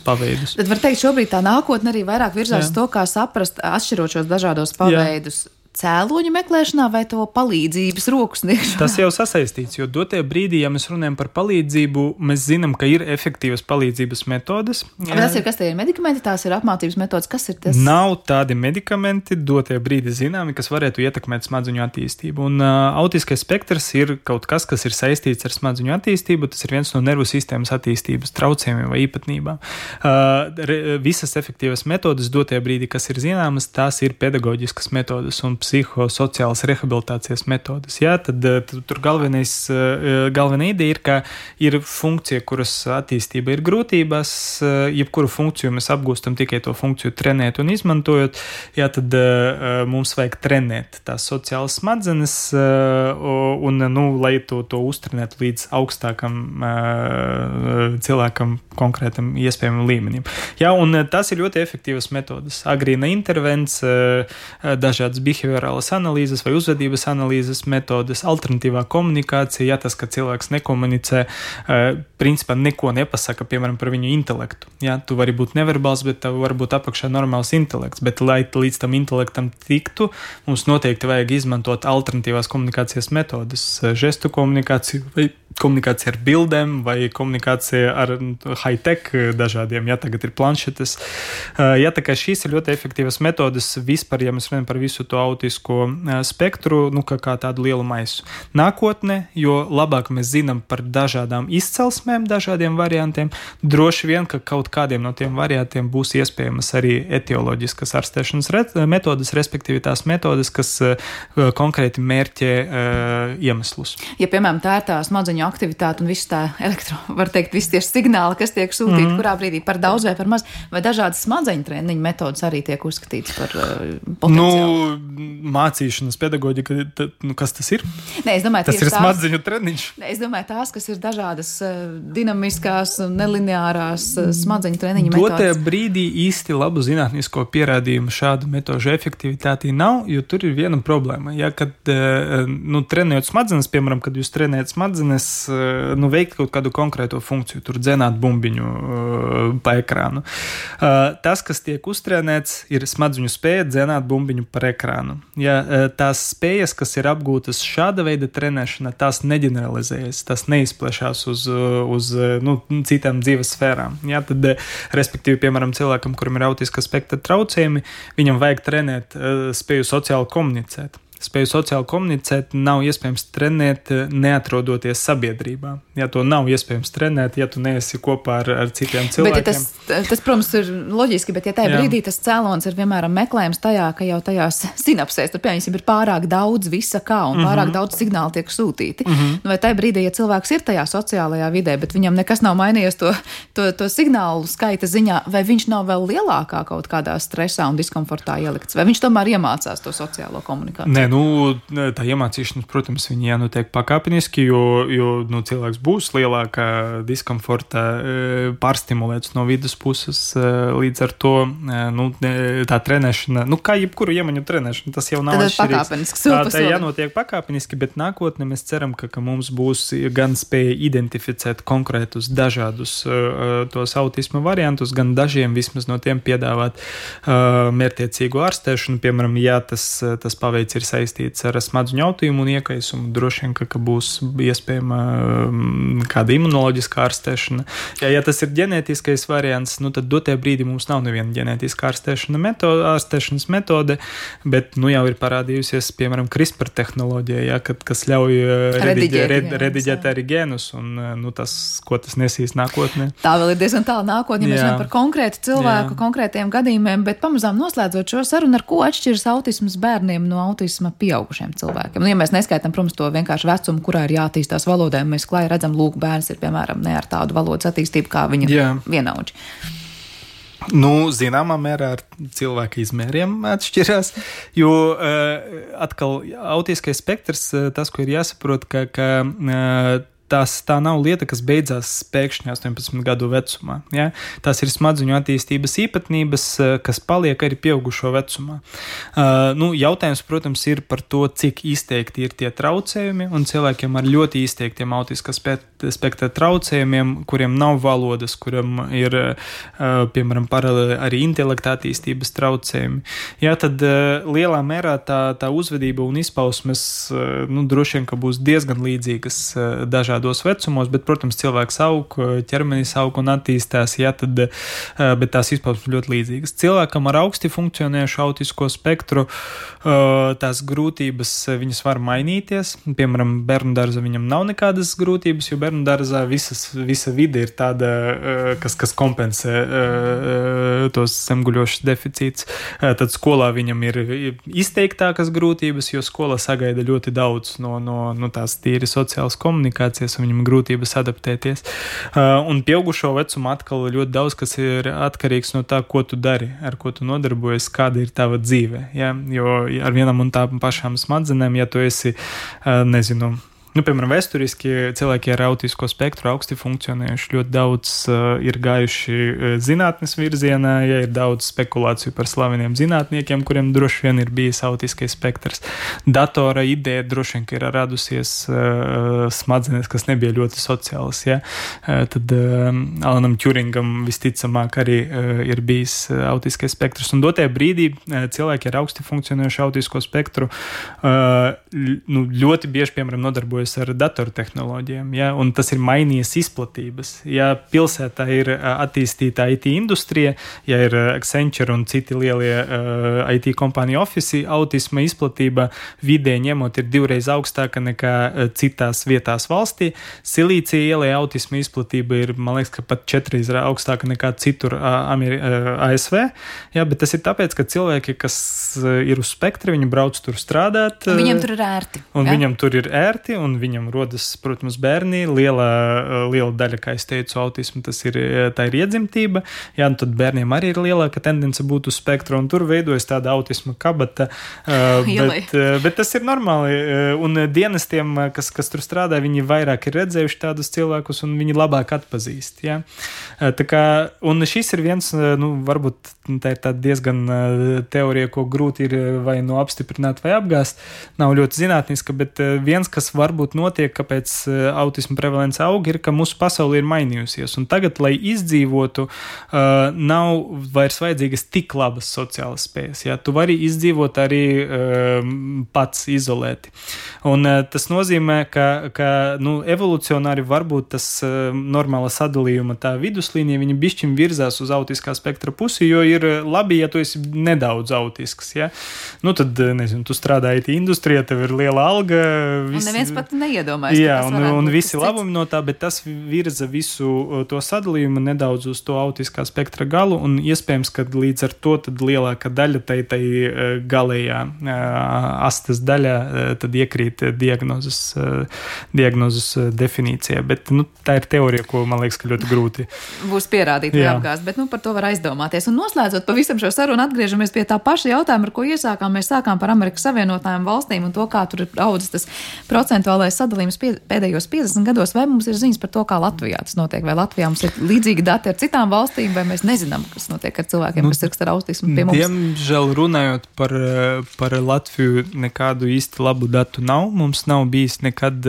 paveidus. Tad var teikt, šobrīd tā nākotne arī vairāk virzās to, kā saprast, atšķirot šos dažādos paveidus. cēloņu meklēšanā vai to palīdzības roku sniegšanā? Tas jau sasaistīts, jo dotie brīdī, ja mēs runājam par palīdzību, mēs zinām, ka ir efektīvas palīdzības metodes. Tas ir, kas tie ir medikamenti, tās ir apmācības metodes, kas ir tas? Nav tādi medikamenti dotie brīdi zināmi, kas varētu ietekmēt smadzeņu attīstību. Un autiskais spektrs ir kaut kas, kas ir saistīts ar smadzeņu attīstību, tas ir viens no nervu sistēmas attīstības traucējumiem vai īpatnībām. Visas efektīvas metodes dotie brīdi, kas ir zināmas, tās ir pedagoģiskas metodes un psihosociālas rehabilitācijas metodes. Jā, tad tur galvenā ideja ir, ka ir funkcija, kuras attīstība ir grūtības, jebkuru funkciju mēs apgūstam tikai to funkciju trenēt un izmantojot, jā, tad mums vajag trenēt tās sociālas smadzenes un, lai to uztrenētu līdz augstākam cilvēkam konkrētam iespējamam līmenim. Jā, un tas ir ļoti efektīvas metodes. Agrīna intervence, dažādas behaviorālas analīzes vai uzvedības analīzes metodes, alternatīvā komunikācija, ja tas, ka cilvēks nekomunicē, principā neko nepasaka, piemēram, par viņu intelektu. Ja, tu vari būt neverbāls, bet tev var būt apakšā normāls intelekts, bet lai līdz tam intelektam tiktu, mums noteikti vajag izmantot alternatīvās komunikācijas metodes, žestu komunikāciju vai komunikācija ar bildēm vai komunikācija ar high-tech dažādiem, ja tagad ir planšetes. Ja tā kā šīs ir ļoti efektīvas metodes vispār, ja mēs runājam par visu to autisko spektru, kā tādu lielu maisu. Nākotnē, jo labāk mēs zinām par dažādām izcelsmēm, dažādiem variantiem, droši vien, ka kaut kādiem no tiem variantiem būs iespējamas arī etioloģiskas ārstēšanas metodes, respektīvi tās metodes, kas konkrēti mērķē iemeslus. Ja, piemēram, tā ir tā smadzeņu aktivitāte un viss tā var teikt, visi tie signāli, kas tiek sūtīti, kurā brīdī par daudz vai par maz, vai dažādas smadzeņu treniņu metodas arī tiek uzskatītas par potenciālu? Mācīšanas pedagoģika, kas tas ir? Nē, es domāju, tas ir smadzeņu treniņš. Nē, es domāju, tās, kas ir dažādas dinamiskās, nelineārās smadzeņu treniņu metodas. Dotajā brīdī īsti labu zinātnisko pierādījumu šādu metožu efektivitātī nav, jo tur ir viena problēma. Ja, kad trenējot smadzenes, piemēram, kad jūs trenējat smadzenes, veikt kaut kādu konkrēto funkciju, tur dzenāt bumbiņu pa ekrānu. Tas, kas tiek uztrenēts, ir smadzeņu spēja dzenāt bumbiņu par ekrānu. Ja, tās spējas, kas ir apgūtas šāda veida trenēšana, tās neģeneralizējas, tās neizplešās uz citām dzīves sfērām. Ja, tad, respektīvi, piemēram, cilvēkam, kuram ir autiska spektra traucējumi, viņam vajag trenēt spēju sociāli komunicēt. Spēju sociāli komunicēt nav iespējams trenēt, neatrodoties sabiedrībā. Ja to nav iespējams trenēt, ja tu neesi kopā ar citiem cilvēkiem. Bet tas, protams, ir loģiski, bet ja tajā brīdī tas cēlons ir vienmēram meklējums tajā, ka jau tajās sinapsēs, tur piemēram ir pārāk daudz visa kā un pārāk daudz signālu tiek sūtīti. Vai tajā brīdī, ja cilvēks ir tajā sociālajā vidē, bet viņam nekas nav mainījies to signālu skaita ziņā, vai viņš nav vēl lielākā kaut kādā stresā un diskomfortā ielikts, vai viņš tomēr iemācās to sociālo komunikāciju? Tā iemācīšanās, protams, viņi jānotiek pakāpeniski, jo cilvēks būs lielākā diskomforta, pārstimulēts no vidas puses, līdz ar to tā trenēšana, kā jebkuru iemaņu trenēšana, tas jau nav atšķirīgs. Tā jānotiek pakāpeniski, bet nākotnē mēs ceram, ka mums būs gan spēja identificēt konkrētus dažādus tos autisma variantus, gan dažiem vismaz no tiem piedāvāt mērķtiecīgu ārstēšanu, piemēram, ja tas paveids ir saistīts ar smadzeņu autījumu un iekaisumu, droši vien, ka būs iespējama kāda imunoloģiska ārstēšana. Ja tas ir ģenētiskais variants, tad dotajā brīdī mums nav neviena ģenētiska ārstēšanas metode, bet jau ir parādījusies, piemēram, CRISPR tehnoloģija, kas ļauj rediģēt arī gēnus, un tas, ko tas nesīs nākotnē. Tā vēl ir diezgan tālu nākotnē, mēs runājam par konkrētu cilvēku, konkrētiem gadījumiem, bet pamazām noslēdzot šo sarunu, ar ko atšķiras autisms bērniem no autisma pieaugušiem cilvēkiem. Ja mēs neskaitām, protams, to vienkārši vecumu, kurā ir jāattīstās valodai, mēs klāji redzam, bērns ir, piemēram, ne ar tādu valodas attīstību kā viņa vienaudži. Zināmā mērā ar cilvēka izmēriem atšķirās, jo atkal autiskais spektrs, tas, ko ir jāsaprot, ka tā nav lieta, kas beidzās pēkšņi 18 gadu vecumā. Ja? Tās ir smadzeņu attīstības īpatnības, kas paliek arī pieaugušo vecumā. Jautājums, protams, ir par to, cik izteikti ir tie traucējumi, un cilvēkiem ar ļoti izteiktiem autiskā spektra traucējumiem, kuriem nav valodas, kuriem ir, piemēram, paralēli arī intelekta attīstības traucējumi. Jā, tad lielā mērā tā uzvedība un izpausmes, droši vien, ka būs diezgan līdzīgas dažādos vecumos, bet, protams, cilvēks aug, ķermenis aug un attīstās, jā, bet tās izpausmes ļoti līdzīgas. Cilvēkam ar augsti funkcionējušu autisko spektru tās grūtības, viņas var mainīties. Piemēram, bērnu dārzā viņam nav nekādas grūtības, jo bērnu dārzā visa vide ir tāda, kas kompensē tos zemguļošas deficīts. Tad skolā viņam ir izteiktākas grūtības, jo skola sagaida ļoti daudz no tās tīri sociālas komunikācijas, un viņam grūtības adaptēties. Un pieaugušo vecumu atkal ļoti daudz, kas ir atkarīgs no tā, ko tu dari, ar ko tu nodarbojies, kāda ir tava dzīve. Ja? Jo ar vienam un tām pašām smadzenēm, ja tu esi, piemēram, vēsturiski cilvēki ar autisko spektru augsti funkcionējuši, ļoti daudz ir gājuši zinātnes virzienā, ja ir daudz spekulāciju par slaveniem zinātniekiem, kuriem droši vien ir bijis autiskais spektrs. Datora ideja droši vien, ka ir radusies smadzenes, kas nebija ļoti sociālas. Ja? Tad Alanam Turingam visticamāk arī ir bijis autiskais spektrs. Un dotajā brīdī cilvēki ar augsti funkcionējušu autisko spektru ļoti bieži, piemēram, nodarbojas ar datortehnoloģijām, ja, un tas ir mainījies izplatības. Ja pilsētā ir attīstīta IT industrija, ja ir Accenture un citi lielie IT kompāniju ofisi, autisma izplatība vidē ņemot ir 2 reizes augstāka nekā citās vietās valstī. Silīcija ielē autisma izplatība ir, man liekas, ka pat 4 reizes augstāka nekā citur ASV, ja, bet tas ir tāpēc, ka cilvēki, kas ir uz spektra, viņi brauc tur strādāt. Viņiem tur ir ērti. Un ja? Viņam tur ir ērti, un viņam rodas, protams, bērni. Liela daļa, kā es teicu, autismu, tā ir iedzimtība. Jā, un tad bērniem arī ir lielāka tendence būt uz spektra, un tur veidojas tāda autisma kabata. Bet tas ir normāli. Un dienestiem, kas tur strādā, viņi vairāk ir redzējuši tādus cilvēkus, un viņi labāk atpazīst. Jā. Tā kā, un šis ir viens, varbūt tā ir tāda diezgan teorija, ko grūti ir vai apstiprināt vai apgāst. Nav ļoti zinātniska, bet viens, kas varbūt notiek, kāpēc autisma prevalence aug, ir, ka mūsu pasaule ir mainījusies. Un tagad, lai izdzīvotu, nav vairs vajadzīgas tik labas sociālas spējas. Ja? Tu vari izdzīvot arī pats izolēti. Un tas nozīmē, ka evolucionāri varbūt tas normāla sadalījuma tā viduslīnija, viņa bišķiņ virzās uz autiskā spektra pusi, jo ir labi, ja tu esi nedaudz autisks. Ja? Tad, tu strādā IT industrijā, tev ir liela alga. Un neviens pat neiedomājas. Jā, un visi labumi no tā, bet tas virza visu to sadalījumu nedaudz uz to autiskā spektra galu, un iespējams, ka līdz ar to tad lielāka daļa tai galējā astes daļā tad iekrīt diagnozes definīcijā. Bet tā ir teorija, ko man liekas, ka ļoti grūti būs pierādīt vai apgāzt, bet par to var aizdomāties. Un noslēdzot pavisam šo sarunu, atgriežamies pie tā paša jautājuma, ar ko iesākām. Mēs sākām par Amerikas Savienotajām valstīm un to, kā tur ir audzis tas procentuālais sadalījums pēdējos 50 gados. Vai mums ir ziņas par to, kā Latvijā tas notiek? Vai Latvijā mums ir līdzīgi dati ar citām valstīm, vai mēs nezinām, kas notiek ar cilvēkiem, kas ir ar autismu pie mums? Diemžēl runājot par Latviju, nekādu īsti labu datu nav. Mums nav bijis nekad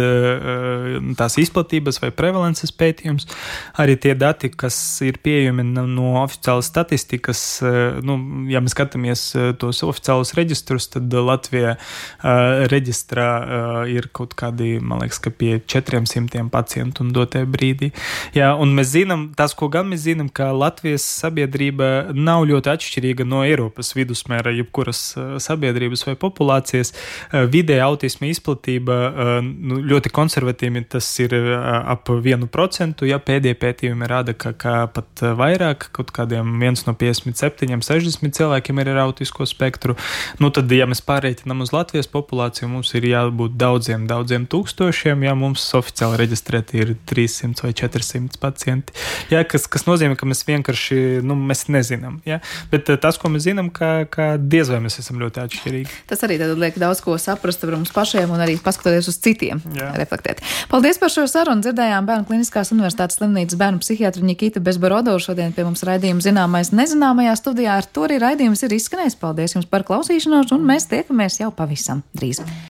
tās izplatības vai prevalences pētījums. Arī tie dati, kas ir pieejami no oficiālas statistikas, ja mēs skatāmies tos oficiālus reģistrus, tad Latvijā reģistrā ir kaut kādi, man liekas, ka pie 400 pacientu un dotajā brīdī. Jā, un mēs zinām, tas, ko gan mēs zinām, ka Latvijas sabiedrība nav ļoti atšķirīga no Eiropas vidusmēra, jebkuras sabiedrības vai populācijas. Vidēja autisma izplatība ļoti konservatīvi, tas ir ap 1%, ja pēdējie pētījumi rāda, ka pat vairāk, kaut kādiem 1 no 57, 60 cilvēkiem ir ar autisko spektru. Tad, ja mēs pārreitinām uz Latvijas populāciju, mums ir jābūt daudziem tūkstošiem, ja mums oficiāli reģistrēti ir 300 vai 400 pacienti. Ja, kas nozīmē, ka mēs vienkārši, mēs nezinām. Ja? Bet tas, ko mēs zinām, ka diez vai mēs esam ļoti atšķirīgi. Tas arī tad liek daudz ko saprast par mums pašiem un arī paskatoties uz citiem reflektēt. Paldies par šo sarunu. Dzirdējām Bērnu Kliniskās universitātes slimnīcas bērnu psihiatra Nikita Bezborodova. Šodien pie mums raidījuma Zināmais nezināmajā studijā. Ar to arī raidījums ir izskanējis. Paldies jums par klausīšanos un mēs tiekamies jau pavisam drīz.